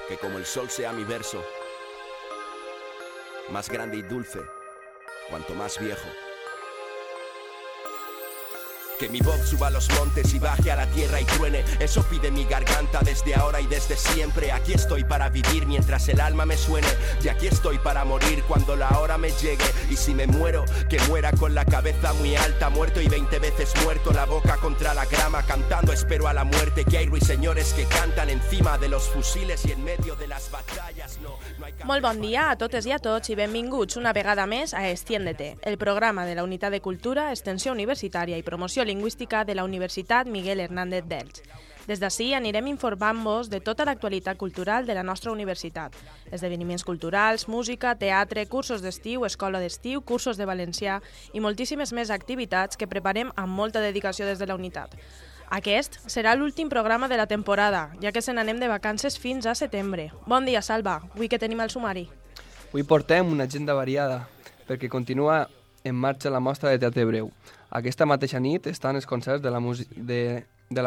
que como el sol sea mi verso, más grande y dulce, cuanto más viejo. Que mi voz suba a los montes y baje a la tierra y truene. Eso pide mi garganta desde ahora y desde siempre. Aquí estoy para vivir mientras el alma me suene. Y aquí estoy para morir cuando la hora me llegue. Y si me muero, que muera con la cabeza muy alta. Muerto y 20 veces muerto, la boca contra la grama. Cantando espero a la muerte. Que hay ruiseñores que cantan encima de los fusiles y en medio de las batallas. No hay... Molt bon dia a totes i a tots i benvinguts una vegada més a Extiéndete, el programa de la Unitat de Cultura, Extensió Universitària i Promoció Lingüística de la Universitat Miguel Hernández d'Elx. Des d'ací anirem informant-vos de tota l'actualitat cultural de la nostra universitat. Esdeveniments culturals, música, teatre, cursos d'estiu, escola d'estiu, cursos de valencià i moltíssimes més activitats que preparem amb molta dedicació des de la unitat. Aquest serà l'últim programa de la temporada, ja que se n'anem de vacances fins a setembre. Bon dia, Salva. Avui que tenim el sumari? Avui portem una agenda variada, perquè continua en marxa la mostra de teatre breu. Aquesta mateixa nit estan els concerts de la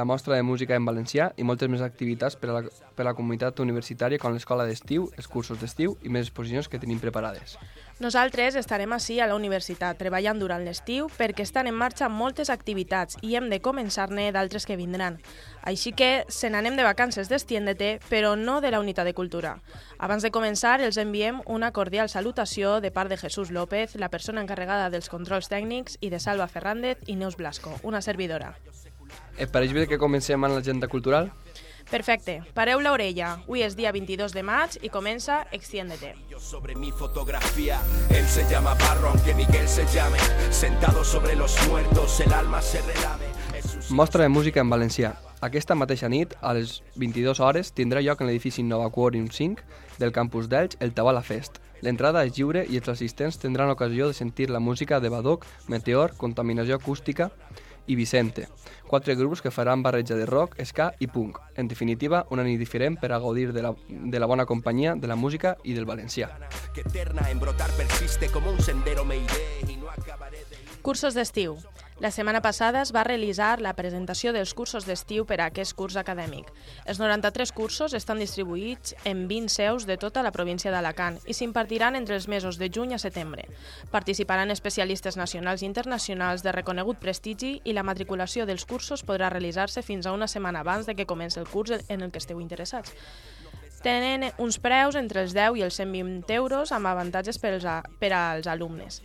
mostra de música en valencià i moltes més activitats per a la comunitat universitària com l'escola d'estiu, els cursos d'estiu i més exposicions que tenim preparades. Nosaltres estarem ací a la universitat treballant durant l'estiu perquè estan en marxa moltes activitats i hem de començar-ne d'altres que vindran. Així que se n'anem de vacances d'Extiéndete, però no de la unitat de cultura. Abans de començar, els enviem una cordial salutació de part de Jesús López, la persona encarregada dels controls tècnics, i de Salva Fernández i Neus Blasco, una servidora. Et pareix bé que comencem amb l'agenda cultural? Perfecte, pareu l'orella. Avui és dia 22 de maig i comença Extiéndete. Sobre mi fotografía, él se llama Barro, aunque Miguel se llame. Sentado sobre los muertos, el alma se relame. Mostra de música en valencià. Aquesta mateixa nit, a les 22 hores, tindrà lloc en l'edifici Nova Quorum 5 del campus d'Elx el Tabala Fest. L'entrada és lliure i els assistents tindran l'ocasió de sentir la música de Badoc, Meteor, Contaminació Acústica i Vicente, 4 grups que faran barreja de rock, ska i punk. En definitiva, una nit diferent per a gaudir de la bona companyia, de la música i del valencià. Cursos d'estiu. La setmana passada es va realitzar la presentació dels cursos d'estiu per a aquest curs acadèmic. Els 93 cursos estan distribuïts en 20 seus de tota la província d'Alacant i s'impartiran entre els mesos de juny a setembre. Participaran especialistes nacionals i internacionals de reconegut prestigi i la matriculació dels cursos podrà realitzar-se fins a una setmana abans de que comenci el curs en el que esteu interessats. Tenen uns preus entre els 10 i els 120 euros amb avantatges per als alumnes.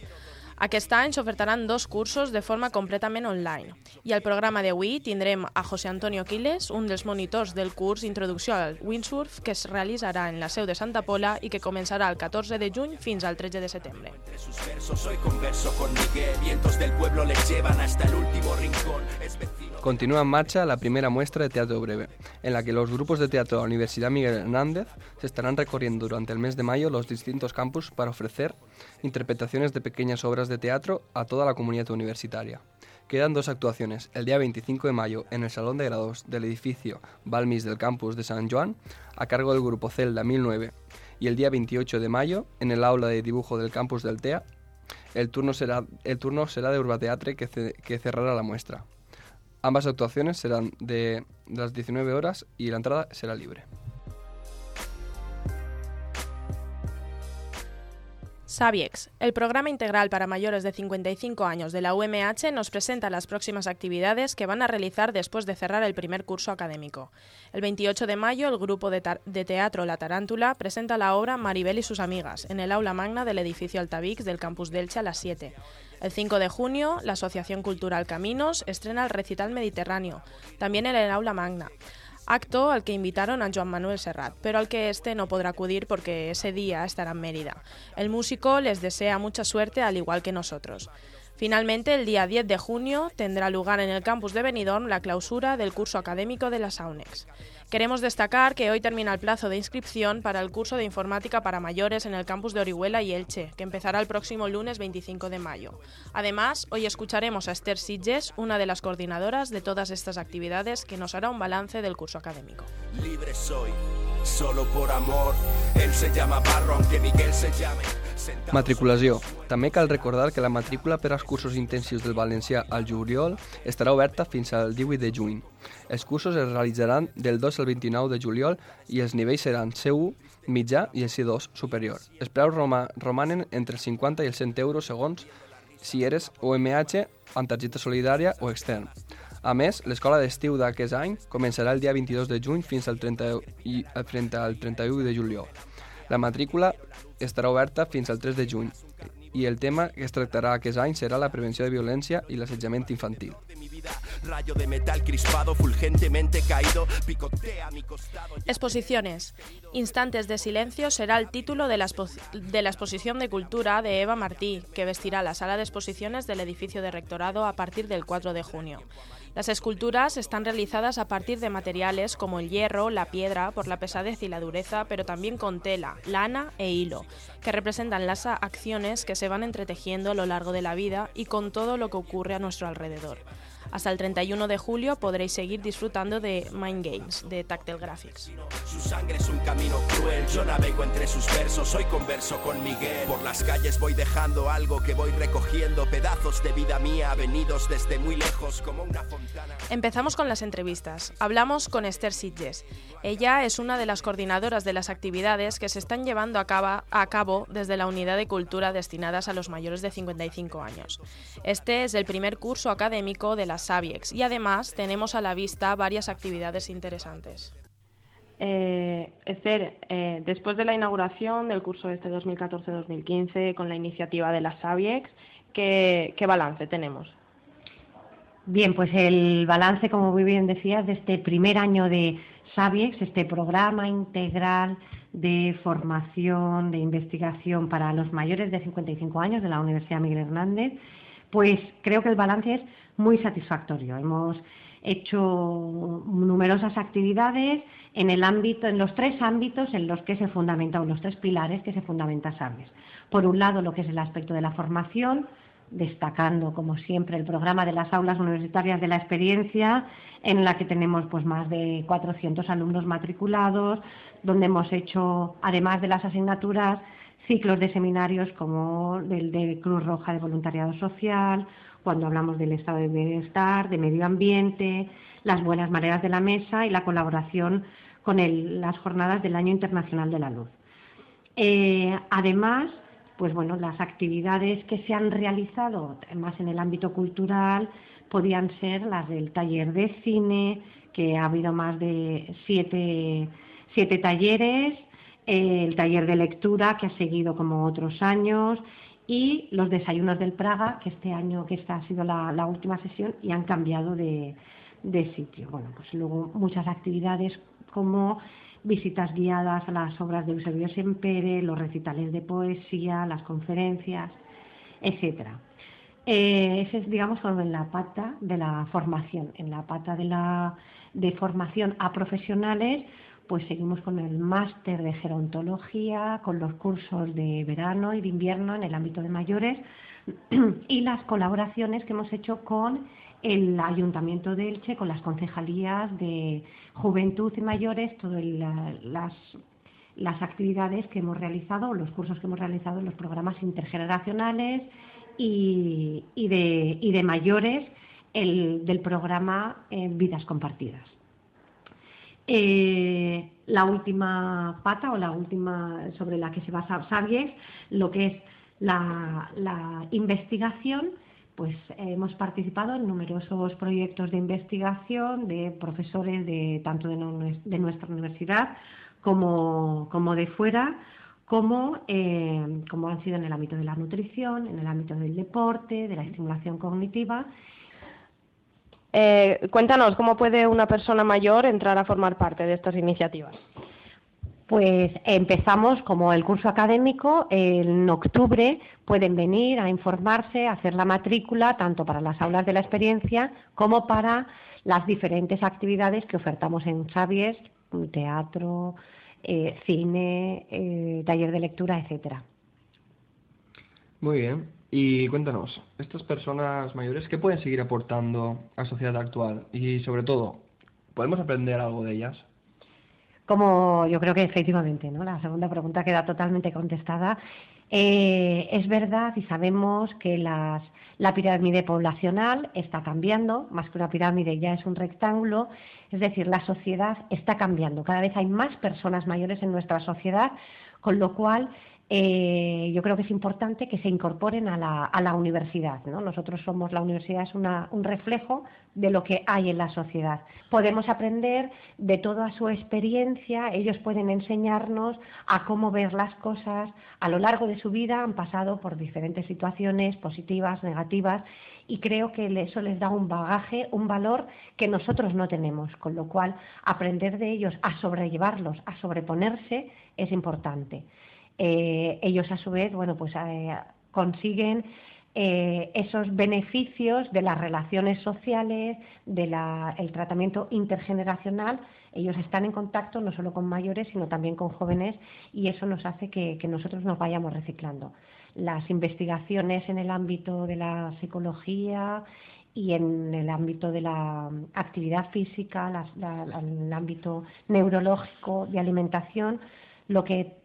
Aquest any s'ofertaran 2 cursos de forma completament online. I al programa d'avui tindrem a José Antonio Quiles, un dels monitors del curs Introducció al Windsurf, que es realitzarà en la seu de Santa Pola i que començarà el 14 de juny fins al 13 de setembre. Continúa en marcha la primera muestra de teatro breve, en la que los grupos de teatro de la Universidad Miguel Hernández se estarán recorriendo durante el mes de mayo los distintos campus para ofrecer interpretaciones de pequeñas obras de teatro a toda la comunidad universitaria. Quedan 2 actuaciones, el día 25 de mayo en el Salón de Grados del edificio Balmis del campus de San Joan, a cargo del grupo Celda 1009, y el día 28 de mayo en el aula de dibujo del campus del TEA. El turno será de Urbateatre que cerrará la muestra. Ambas actuaciones serán de las 19 horas y la entrada será libre. Sabiex, el programa integral para mayores de 55 años de la UMH, nos presenta las próximas actividades que van a realizar después de cerrar el primer curso académico. El 28 de mayo, el grupo de teatro La Tarántula presenta la obra Maribel y sus amigas en el aula magna del edificio Altavix del campus d'Elche a las 7. El 5 de junio, la Asociación Cultural Caminos estrena el recital Mediterráneo, también en el aula magna. Acto al que invitaron a Joan Manuel Serrat, pero al que este no podrá acudir porque ese día estará en Mérida. El músico les desea mucha suerte al igual que nosotros. Finalmente, el día 10 de junio tendrá lugar en el campus de Benidorm la clausura del curso académico de la SAUNEX. Queremos destacar que hoy termina el plazo de inscripción para el curso de informática para mayores en el campus de Orihuela y Elche, que empezará el próximo lunes 25 de mayo. Además, hoy escucharemos a Esther Sitges, una de las coordinadoras de todas estas actividades, que nos hará un balance del curso académico. Libre soy, solo por amor. Él se llama Barro, aunque Miguel se llame. Matriculació. També cal recordar que la matrícula per als cursos intensius del valencià al juliol estarà oberta fins al 18 de juny. Els cursos es realitzaran del 2 el 29 de juliol i els nivells seran C1, mitjà i el C2 superior. Els preus romanen entre els 50 i els 100 euros segons si eres UMH amb targeta solidària o extern. A més, l'escola d'estiu d'aquest any començarà el dia 22 de juny fins al 31 de juliol. La matrícula estarà oberta fins al 3 de juny i el tema que es tractarà aquest any serà la prevenció de violència i l'assetjament infantil. Rayo de metal crispado, fulgentemente caído, picotea mi costado. Exposiciones. Instantes de silencio será el título de la exposición de cultura de Eva Martí, que vestirá la sala de exposiciones del edificio de rectorado a partir del 4 de junio. Las esculturas están realizadas a partir de materiales como el hierro, la piedra, por la pesadez y la dureza, pero también con tela, lana e hilo, que representan las acciones que se van entretejiendo a lo largo de la vida y con todo lo que ocurre a nuestro alrededor. Hasta el 31 de julio podréis seguir disfrutando de Mind Games, de Tactile Graphics. Su sangre es un camino cruel, yo navego entre sus versos, hoy converso con Miguel. Por las calles voy dejando algo que voy recogiendo, pedazos de vida mía venidos desde muy lejos como una fontana. Empezamos con las entrevistas. Hablamos con Esther Sitges. Ella es una de las coordinadoras de las actividades que se están llevando a cabo desde la Unidad de Cultura destinadas a los mayores de 55 años. Este es el primer curso académico de las Sabiex y además tenemos a la vista varias actividades interesantes. Esther, después de la inauguración del curso este 2014-2015 con la iniciativa de las Sabiex, ¿qué balance tenemos? Bien, pues el balance, como muy bien decías, de este primer año de Sabiex, este programa integral de formación, de investigación para los mayores de 55 años de la Universidad Miguel Hernández, pues creo que el balance es muy satisfactorio. Hemos hecho numerosas actividades en los tres ámbitos en los que se fundamenta, o los tres pilares que se fundamenta Sabiex. Por un lado, lo que es el aspecto de la formación, destacando, como siempre, el programa de las aulas universitarias de la experiencia, en la que tenemos pues más de 400 alumnos matriculados, donde hemos hecho, además de las asignaturas, ciclos de seminarios como el de Cruz Roja de Voluntariado Social, cuando hablamos del estado de bienestar, de medio ambiente, las buenas maneras de la mesa y la colaboración con las jornadas del Año Internacional de la Luz. Además, pues bueno, las actividades que se han realizado más en el ámbito cultural podían ser las del taller de cine, que ha habido más de siete talleres, el taller de lectura, que ha seguido como otros años, y los desayunos del Praga, que este año, que esta ha sido la última sesión, y han cambiado de sitio. Bueno, pues luego muchas actividades como visitas guiadas a las obras de Eusebio Sempere, los recitales de poesía, las conferencias, etcétera. Ese es, digamos, en la pata de la formación. En la pata de formación a profesionales, pues seguimos con el máster de gerontología, con los cursos de verano y de invierno en el ámbito de mayores y las colaboraciones que hemos hecho con el Ayuntamiento de Elche, con las concejalías de Juventud y Mayores, todas las actividades que hemos realizado, los cursos que hemos realizado en los programas intergeneracionales y de mayores del programa Vidas Compartidas. La última pata, o la última sobre la que se basa Sabiex, lo que es la investigación, pues hemos participado en numerosos proyectos de investigación de profesores tanto de nuestra universidad como de fuera, como han sido en el ámbito de la nutrición, en el ámbito del deporte, de la estimulación cognitiva. Cuéntanos, ¿cómo puede una persona mayor entrar a formar parte de estas iniciativas? Pues empezamos como el curso académico, en octubre pueden venir a informarse, a hacer la matrícula, tanto para las aulas de la experiencia como para las diferentes actividades que ofertamos en Sabiex, teatro, cine, taller de lectura, etcétera. Muy bien. Y cuéntanos, estas personas mayores, ¿qué pueden seguir aportando a la sociedad actual? Y sobre todo, ¿podemos aprender algo de ellas? Como yo creo que efectivamente, ¿no? La segunda pregunta queda totalmente contestada. Es verdad y sabemos que la pirámide poblacional está cambiando, más que una pirámide ya es un rectángulo, es decir, la sociedad está cambiando. Cada vez hay más personas mayores en nuestra sociedad, con lo cual yo creo que es importante que se incorporen a la universidad, ¿no? Nosotros somos, la universidad es un reflejo de lo que hay en la sociedad. Podemos aprender de toda su experiencia, ellos pueden enseñarnos a cómo ver las cosas. A lo largo de su vida han pasado por diferentes situaciones positivas, negativas, y creo que eso les da un bagaje, un valor que nosotros no tenemos, con lo cual aprender de ellos a sobrellevarlos, a sobreponerse es importante. Ellos a su vez, bueno, pues consiguen esos beneficios de las relaciones sociales, el tratamiento intergeneracional. Ellos están en contacto no solo con mayores, sino también con jóvenes, y eso nos hace que nosotros nos vayamos reciclando. Las investigaciones en el ámbito de la psicología y en el ámbito de la actividad física, en el ámbito neurológico, de alimentación, lo que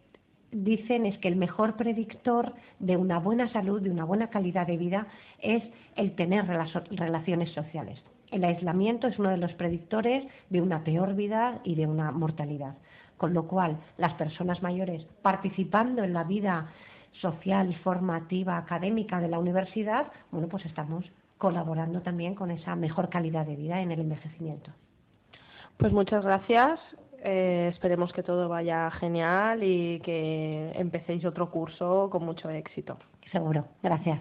dicen es que el mejor predictor de una buena salud, de una buena calidad de vida, es el tener relaciones sociales. El aislamiento es uno de los predictores de una peor vida y de una mortalidad. Con lo cual, las personas mayores participando en la vida social, formativa, académica de la universidad, bueno, pues estamos colaborando también con esa mejor calidad de vida en el envejecimiento. Pues muchas gracias. Esperemos que todo vaya genial y que empecéis otro curso con mucho éxito. Seguro. Gracias.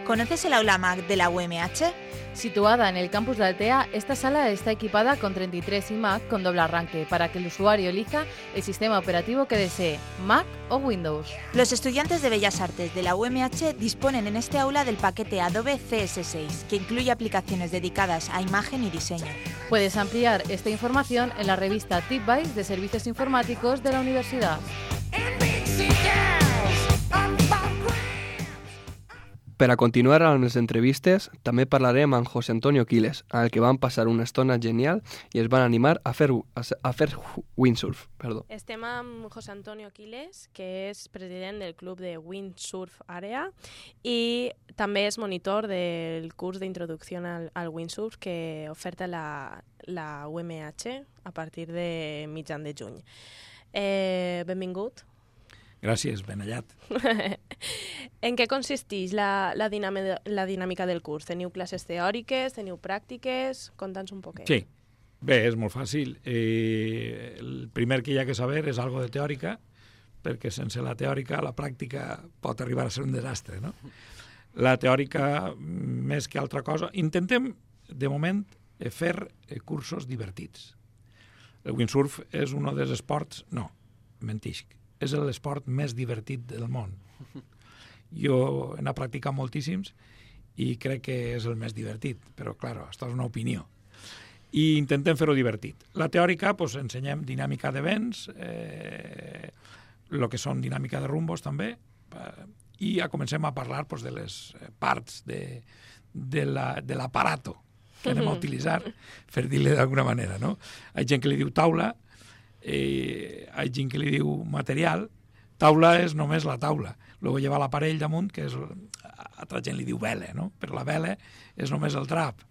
¿Conoces el aula MAC de la UMH? Situada en el campus de Altea, esta sala está equipada con 33 iMac con doble arranque para que el usuario elija el sistema operativo que desee, Mac o Windows. Los estudiantes de Bellas Artes de la UMH disponen en este aula del paquete Adobe CS6, que incluye aplicaciones dedicadas a imagen y diseño. Puedes ampliar esta información en la revista TipBytes de Servicios Informáticos de la Universidad. Per a continuar amb les entrevistes, també parlarem amb José Antonio Quiles, amb el que van passar una estona genial i es van animar a fer windsurf. Perdó. Estem amb José Antonio Quiles, que és president del club de windsurf àrea i també és monitor del curs d'introducció al windsurf que oferta la UMH a partir de mitjan de juny. Benvingut. Gràcies, ben hallat. En què consisteix la dinàmica del curs? Teniu classes teòriques, teniu pràctiques? Conta'ns un poquet. Sí, bé, és molt fàcil. El primer que hi ha que saber és algo de teòrica, perquè sense la teòrica la pràctica pot arribar a ser un desastre, no? La teòrica, més que altra cosa, intentem, de moment, fer cursos divertits. El windsurf és un dels esports... No, mentisc. És l'esport més divertit del món. Jo n'he practicat moltíssims i crec que és el més divertit, però, clar, això és una opinió. I intentem fer-ho divertit. La teòrica, doncs, ensenyem dinàmica de vents, el que són dinàmica de rumbos, també, i ja comencem a parlar doncs, de les parts de l'aparato que anem a utilitzar, per dir-li d'alguna manera, no? Hi ha gent que li diu taula, hi ha gent que li diu material. Taula és només la taula. Luego lleva l'aparell damunt, que és, altra gent li diu vela, no? Però la vela és només el drap.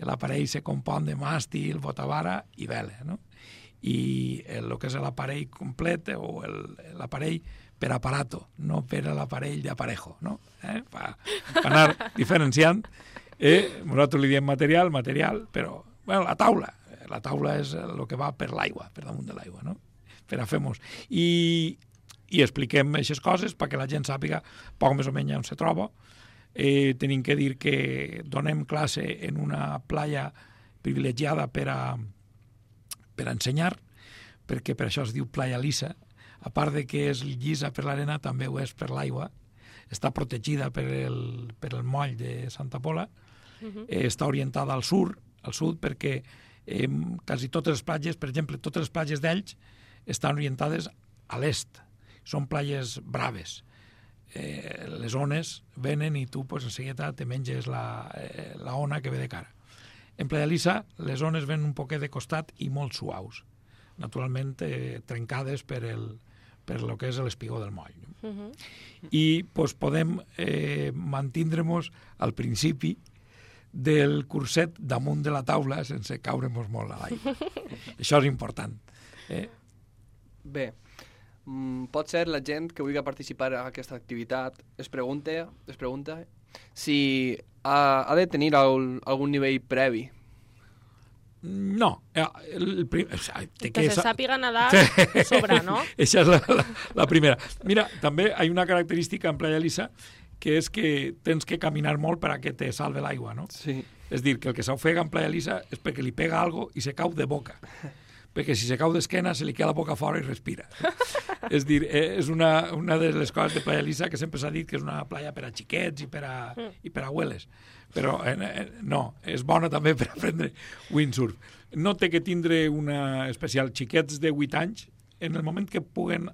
L'aparell se compon de màstil, botavara i vela, no? I el que és l'aparell complet o l'aparell per aparato, no per l'aparell d'aparejo, no? Per anar diferenciant. Nosaltres li diem material, però, bueno, la taula és el que va per l'aigua, per damunt de l'aigua, no? Per a fer-nos. I expliquem aquestes coses perquè la gent sàpiga poc més o menys on se troba. Tenim que dir que donem classe en una playa privilegiada per a ensenyar, perquè per això es diu playa lisa. A part de que és llisa per l'arena, també ho és per l'aigua. Està protegida per el moll de Santa Pola. Està orientada al sud, perquè quasi totes les platges, per exemple, totes les platges d'Elx estan orientades a l'est. Són platges braves. Les ones venen i tu, en seguida, te menges la ona que ve de cara. En Playa Lisa les ones ven un poquet de costat i molt suaus, naturalment trencades per lo que és l'espigó del moll. I podem mantindre-nos al principi del curset damunt de la taula sense caure-nos molt a l'aigua. Això és important. Bé, pot ser la gent que vulgui participar en aquesta activitat es pregunta si ha de tenir algun nivell previ. No. Que se sàpiga nedar sobre, ¿no? Esa es la primera. Mira, també hi ha una característica en Playa Lisa que és que tens que caminar molt per a que te salve l'aigua, no? Sí. És dir, que el que s'ofega en Playa Lisa és perquè li pega algo i se cau de boca. Perquè si se cau d'esquena se li queda la boca fora i respira. És dir, és una de les coses de Playa Lisa que sempre s'ha dit que és una playa per a xiquets i per a abueles. Però no, és bona també per aprendre windsurf. No té que tindre una especial. Xiquets de 8 anys, en el moment que puguen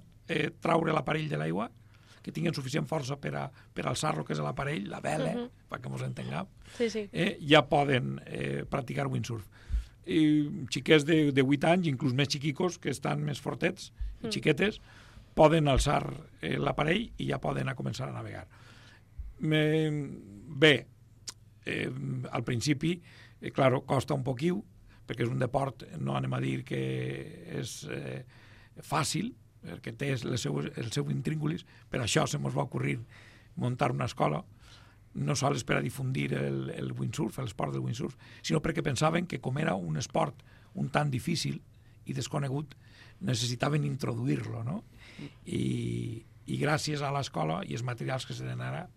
traure l'aparell de l'aigua, que tinguin suficient força per alçar lo que és l'aparell, la vela, perquè ens entenguem, ja poden practicar windsurf. I xiquets de 8 anys, inclús més xiquicos, que estan més fortets i xiquetes, poden alçar l'aparell i ja poden començar a navegar. Bé, al principi, claro, costa un poquiu, perquè és un deport, no anem a dir que és fàcil, perquè té el seu intríngulis. Per això se mos va ocorrir muntar una escola, no sols per a difundir el windsurf, l'esport del windsurf, sinó perquè pensaven que com era un esport un tant difícil i desconegut, necessitaven introduir-lo, no? I gràcies a l'escola i els materials que se tenen ara,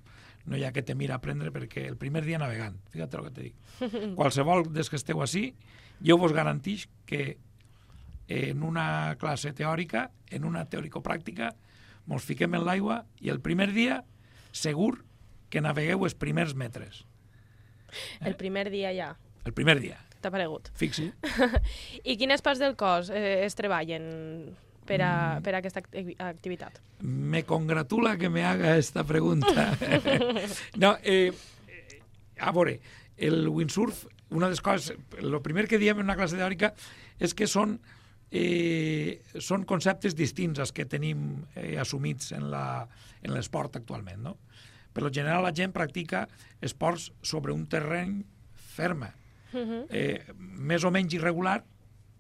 no hi ha que temir a aprendre, perquè el primer dia navegant, fíjate el que te dic. Qualsevol des que esteu així, jo vos garantix que en una classe teòrica, en una teòrico-pràctica, mos fiquem en l'aigua i el primer dia, segur que navegueu els primers metres. El primer dia ja. El primer dia. T'ha paregut. Fixi. I quines parts del cos es treballen per a aquesta activitat? Me congratula que me haga esta pregunta. No, a veure, el windsurf, una de les coses, el primer que diem en una classe teòrica és que són conceptes distints als que tenim assumits en l'esport actualment, no? Per lo general la gent practica esports sobre un terreny ferme, més o menys irregular,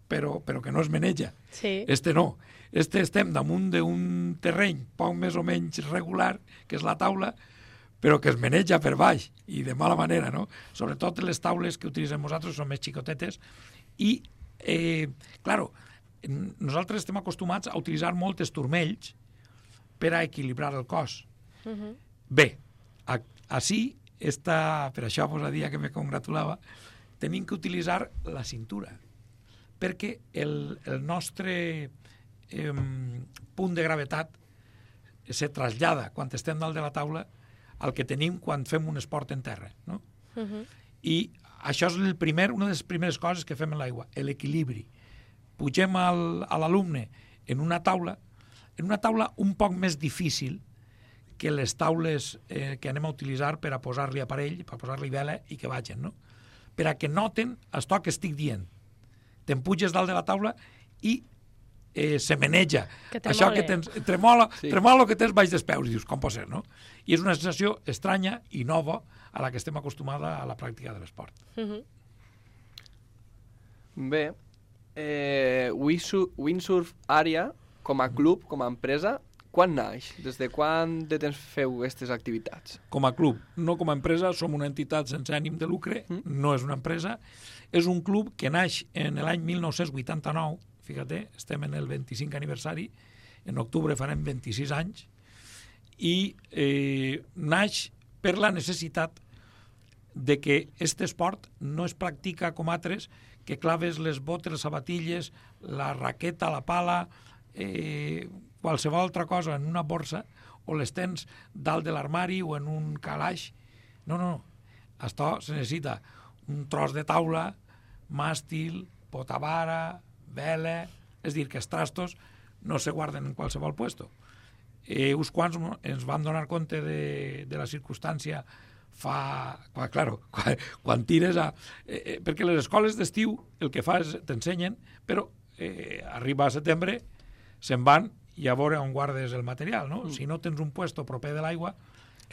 però que no es maneja. Sí. Este no. Estem damunt d'un terreny poc més o menys regular, que és la taula, però que es maneja per baix, i de mala manera, no? Sobretot les taules que utilitzem nosaltres són més xicotetes, i, claro, nosaltres estem acostumats a utilitzar molts turmells per a equilibrar el cos. Bé, així, per això vos dia que me congratulava, tenim que utilitzar la cintura, perquè el nostre punt de gravetat se trasllada quan estem dalt de la taula al que tenim quan fem un esport en terra, no? I això és una de les primeres coses que fem en l'aigua, l'equilibri. Pugem a l'alumne en una taula un poc més difícil que les taules que anem a utilitzar per a posar-li aparell, per a posar-li vela i que vagin, no? Per a que noten això que estic dient. Te'n puges dalt de la taula i se maneja. Això que tens, tremola que tens baix dels peus, i dius, com pot ser, no? I és una sensació estranya i nova a la que estem acostumada a la pràctica de l'esport. Bé, Windsurf Àrea, com a club, com a empresa, quan naix? Des de quan de temps feu aquestes activitats? Com a club, no com a empresa, som una entitat sense ànim de lucre, no és una empresa, és un club que naix en l'any 1989, fíjate, estem en el 25 aniversari, en octubre farem 26 anys, i naix per la necessitat de que aquest esport no es practica com altres, que claves les botes, les sabatilles, la raqueta, la pala, qualsevol altra cosa en una borsa, o les tens dalt de l'armari o en un calaix. No. Això se necessita un tros de taula, màstil, potavara, vela, és dir, que els trastos no se guarden en qualsevol puesto. Uns quants ens vam donar compte de la circumstància quan tires perquè les escoles d'estiu el que fa és t'ensenyen, però arriba a setembre, se'n van i a veure on guardes el material, no? Si no tens un puesto proper de l'aigua,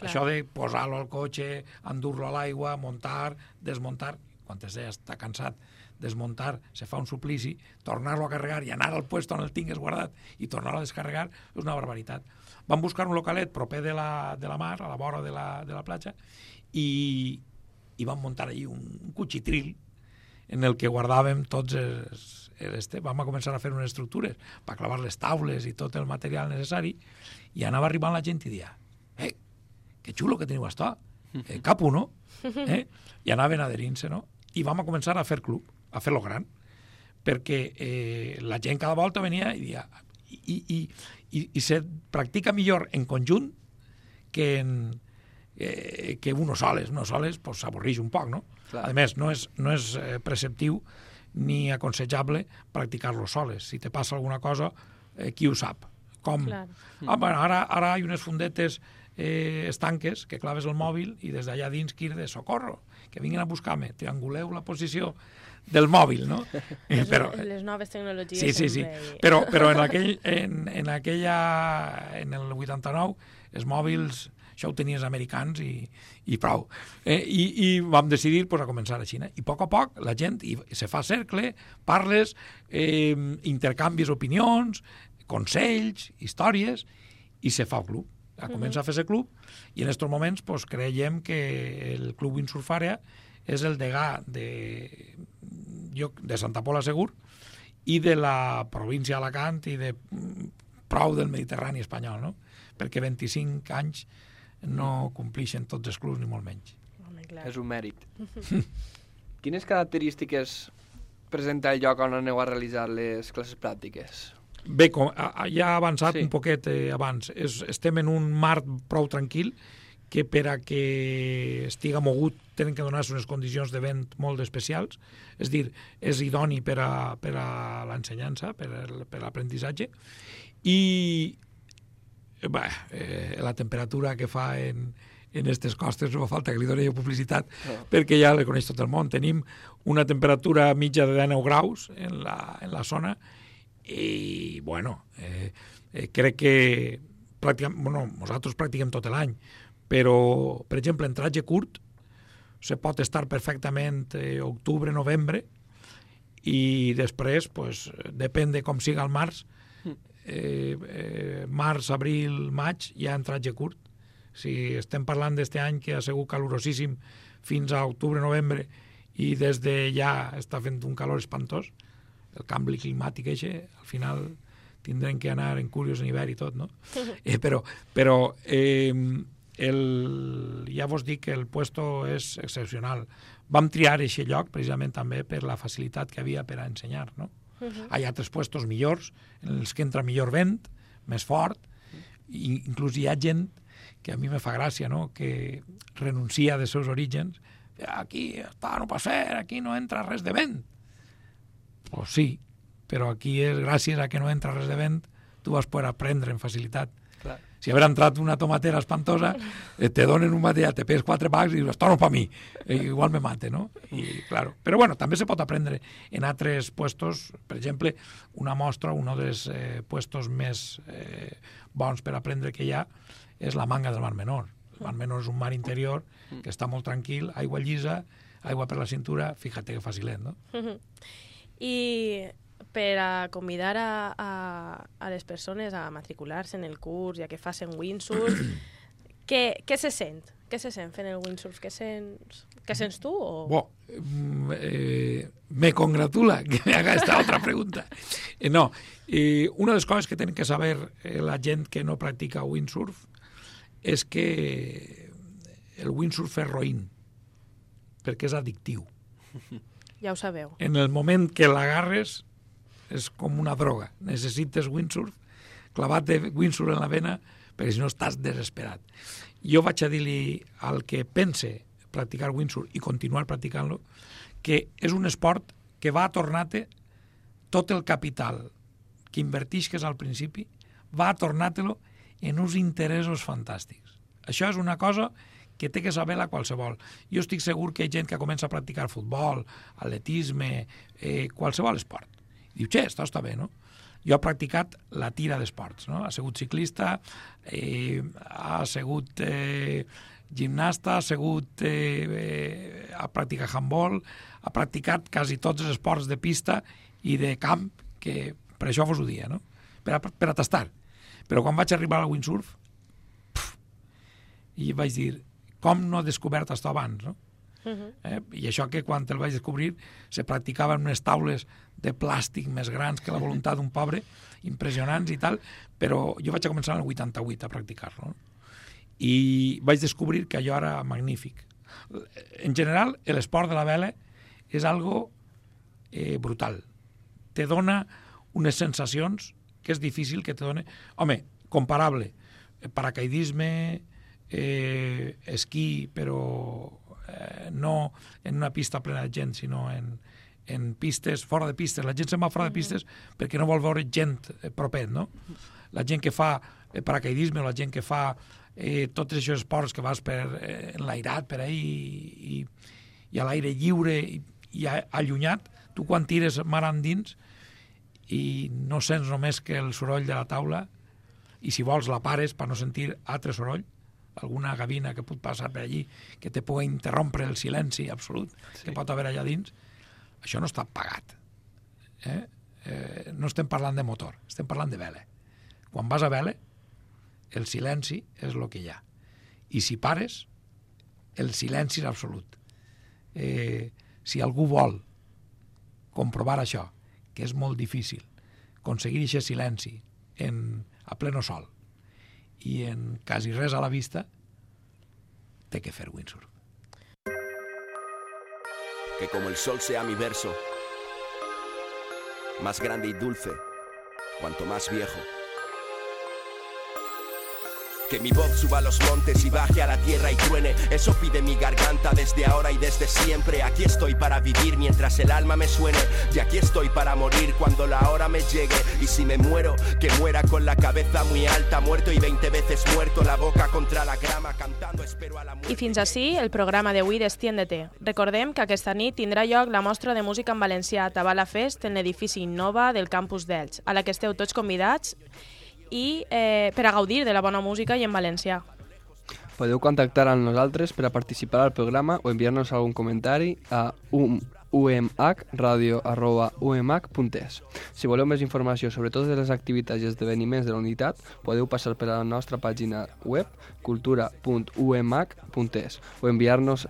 això de posar-lo al cotxe, endur-lo a l'aigua, muntar, desmuntar, quan ja està cansat, desmuntar, se fa un suplici, tornar-lo a carregar i anar al puesto on el tingues guardat i tornar-lo a descarregar, és una barbaritat. Vam buscar un localet proper de la mar, a la vora de la platja, i vam muntar allí un cuchitril en el que guardàvem tots vam a començar a fer unes estructures per clavar les taules i tot el material necessari, i anava arribant la gent i dia que xulo que teniu això, capo, no? I anaven adherint-se, no? I vam a començar a fer club, a fer-lo gran, perquè la gent cada volta venia i dia i se practica millor en conjunt que uno soles. Uno soles s'avorreix un poc, no? Clar. A més, no és preceptiu ni aconsejable practicar-lo soles. Si te passa alguna cosa, qui ho sap? Com? Ara hi ha unes fundetes estanques que claves el mòbil i des d'allà dins crida socorro, que vinguin a buscar-me, trianguleu la posició del mòbil, no? Però, les noves tecnologies. Sí. Però en el 89 els mòbils això ho tenien els americans i prou. I vam decidir a començar a Xina. I a poc la gent se fa cercle, parles, intercanvis opinions, consells, històries, i se fa el club. Comença a fer-se club, i en aquests moments creiem que el Club Windsurf Àrea és el degà de Santa Pola Segur i de la província d'Alacant i de prou del Mediterrani espanyol, no? Perquè 25 anys no complixen tots els clubs, ni molt menys. És un mèrit. Quines característiques presenta el lloc on aneu a realitzar les classes pràctiques? Bé, ja ha avançat un poquet abans. Estem en un mar prou tranquil que per a que estiga mogut tenen que donar-se unes condicions de vent molt especials, és dir, és idoni per a l'ensenyança, per a l'aprenentatge, i la temperatura que fa en aquestes costes no fa falta que li doni publicitat perquè ja la coneix tot el món. Tenim una temperatura mitja de 19 graus en la zona i, crec que nosaltres practiquem tot l'any, però, per exemple, en tratge curt se pot estar perfectament octubre, novembre, i després, depèn de com siga el març, març, abril, maig, ja en tratge curt. Si estem parlant d'este any que ha sigut calorosíssim fins a octubre, novembre, i des de ja està fent un calor espantós, el canvi climàtic al final tindrem que anar en curios en hivern i tot, no? Però ja vos dic que el puesto és excepcional. Vam triar aquest lloc precisament també per la facilitat que havia per a ensenyar, no? Hi ha altres puestos millors, en els que entra millor vent, més fort, i inclús hi ha gent que a mi me fa gràcia, no?, que renuncia dels seus orígens. Aquí no pot ser, aquí no entra res de vent. Pues sí, però aquí és gràcies a que no entra res de vent, tu vas poder aprendre amb facilitat. Clar. Si haver entrat una tomatera espantosa, te donen un material, te pegues 4 pacs i dius, esto no pa mi, igual me mate, no? Claro. Però també se pot aprendre en altres puestos. Per exemple, una mostra, un dels puestos més bons per aprendre que hi ha és la Manga del Mar Menor. El Mar Menor és un mar interior que està molt tranquil, aigua llisa, aigua per la cintura, fíjate que facilet, no? I per a convidar a les persones a matricular-se en el curs i a que facin windsurf, què se sent? Què se sent fent el windsurf? Què sents tu? Me congratula que me haga esta otra pregunta. No, una de les coses que tenen que saber la gent que no practica windsurf és que el windsurf és roïn, perquè és addictiu. Ja ho sabeu. En el moment que l'agarres és com una droga. Necessites windsurf, clavat de windsurf en la vena, perquè si no estàs desesperat. Jo vaig a dir-li al que pense practicar windsurf i continuar practicant-lo que és un esport que va a tornar-te tot el capital que invertixes al principi, va a tornar-te-lo en uns interessos fantàstics. Això és una cosa que té que saber-la qualsevol. Jo estic segur que hi ha gent que comença a practicar futbol, atletisme, qualsevol esport. Diu, això està bé, no? Jo he practicat la tira d'esports, no? Ha sigut ciclista, ha sigut gimnasta, ha practicat handball, ha practicat quasi tots els esports de pista i de camp, que per això vos ho dia, no? Per a tastar. Però quan vaig arribar al windsurf, i vaig dir, com no he descobert això abans, no? I això que quan el vaig descobrir se practicava en unes taules de plàstic més grans que la voluntat d'un pobre, impressionants i tal, però jo vaig a començar en el 88 a practicar-lo, no? I vaig descobrir que allò era magnífic. En general, l'esport de la vela és algo brutal. Te dona unes sensacions que és difícil que te done... Home, comparable, paracaidisme, esquí, però no en una pista plena de gent, sinó en pistes, fora de pistes. La gent se'n va fora de pistes perquè no vol veure gent propet, no? La gent que fa paracaidisme o la gent que fa tots aquests esports que vas per enlairat per ahí i a l'aire lliure i allunyat, tu quan tires mar endins i no sents només que el soroll de la taula, i si vols la pares per no sentir altre soroll, alguna gavina que pot passar per allí que te pugui interrompre el silenci absolut que pot haver allà dins, això no està pagat. No estem parlant de motor, estem parlant de vela. Quan vas a vela, el silenci és el que hi ha. I si pares, el silenci és absolut. Si algú vol comprovar això, que és molt difícil, aconseguir aquest silenci a pleno sol i en quasi res a la vista, té que fer windsurf. Que como el sol sea mi verso, más grande y dulce, cuanto más viejo. Que mi voz suba a los montes y baje a la tierra y truene, eso pide mi garganta desde ahora y desde siempre. Aquí estoy para vivir mientras el alma me suene, y aquí estoy para morir cuando la hora me llegue. Y si me muero, que muera con la cabeza muy alta, muerto y 20 veces muerto, la boca contra la grama, cantando espero a la muerte. I fins ací el programa d'avui d'Estiéndete. Recordem que aquesta nit tindrà lloc la mostra de música en valencià Tabala Fest en l'edifici Innova del campus d'Elx, a la que esteu tots convidats i per a gaudir de la bona música i en valencià. Podeu contactar amb nosaltres per a participar al programa o enviar-nos algun comentari a umhradio@umh.es. Si voleu més informació sobre totes les activitats i esdeveniments de la unitat, podeu passar per la nostra pàgina web cultura.umh.es o enviar-nos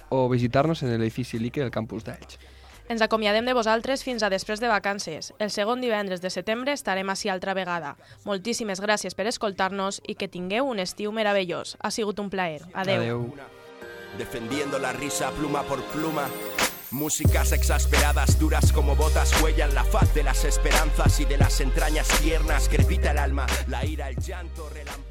o visitar-nos en l'edifici Lique del campus d'Elx. Ens acomiadem de vosaltres fins a després de vacances. El segon divendres de setembre estarem ací altra vegada. Moltíssimes gràcies per escoltar-nos i que tingueu un estiu meravellós. Ha sigut un plaer. Adeu. Defendiendo la risa pluma por pluma. Músicas exasperadas, duras como botas, huellan la faz de las esperanzas y de las entrañas tiernas. Crepita el alma, la ira, el llanto, relámpago.